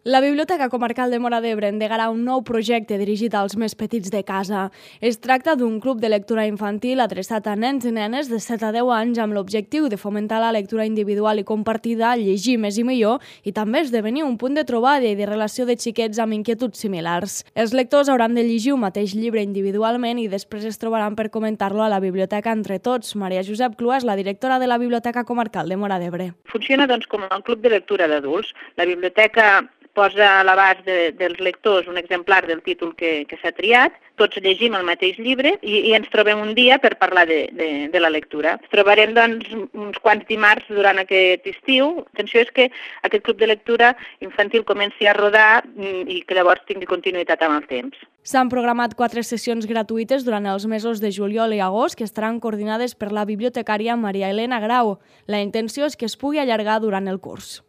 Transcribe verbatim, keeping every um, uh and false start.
La Biblioteca Comarcal de Móra d'Ebre endegarà un nou projecte dirigit als més petits de casa. Es tracta d'un club de lectura infantil adreçat a nens i nenes de set a deu anys amb l'objectiu de fomentar la lectura individual i compartida, llegir més i millor i també esdevenir un punt de trobada i de relació de xiquets amb inquietuds similars. Els lectors hauran de llegir un mateix llibre individualment i després es trobaran per comentar-lo a la biblioteca entre tots. Maria Josep Clua és la directora de la Biblioteca Comarcal de Móra d'Ebre. Funciona doncs, com un club de lectura d'adults. La biblioteca posa a l'abast de, dels lectors un exemplar del títol que, que s'ha triat, tots llegim el mateix llibre i, i ens trobem un dia per parlar de, de, de la lectura. Ens trobarem doncs, uns quants dimarts durant aquest estiu. L'atenció és que aquest club de lectura infantil comenci a rodar i que llavors tingui continuïtat amb el temps. S'han programat quatre sessions gratuïtes durant els mesos de juliol i agost que estaran coordinades per la bibliotecària Maria Elena Grau. La intenció és que es pugui allargar durant el curs.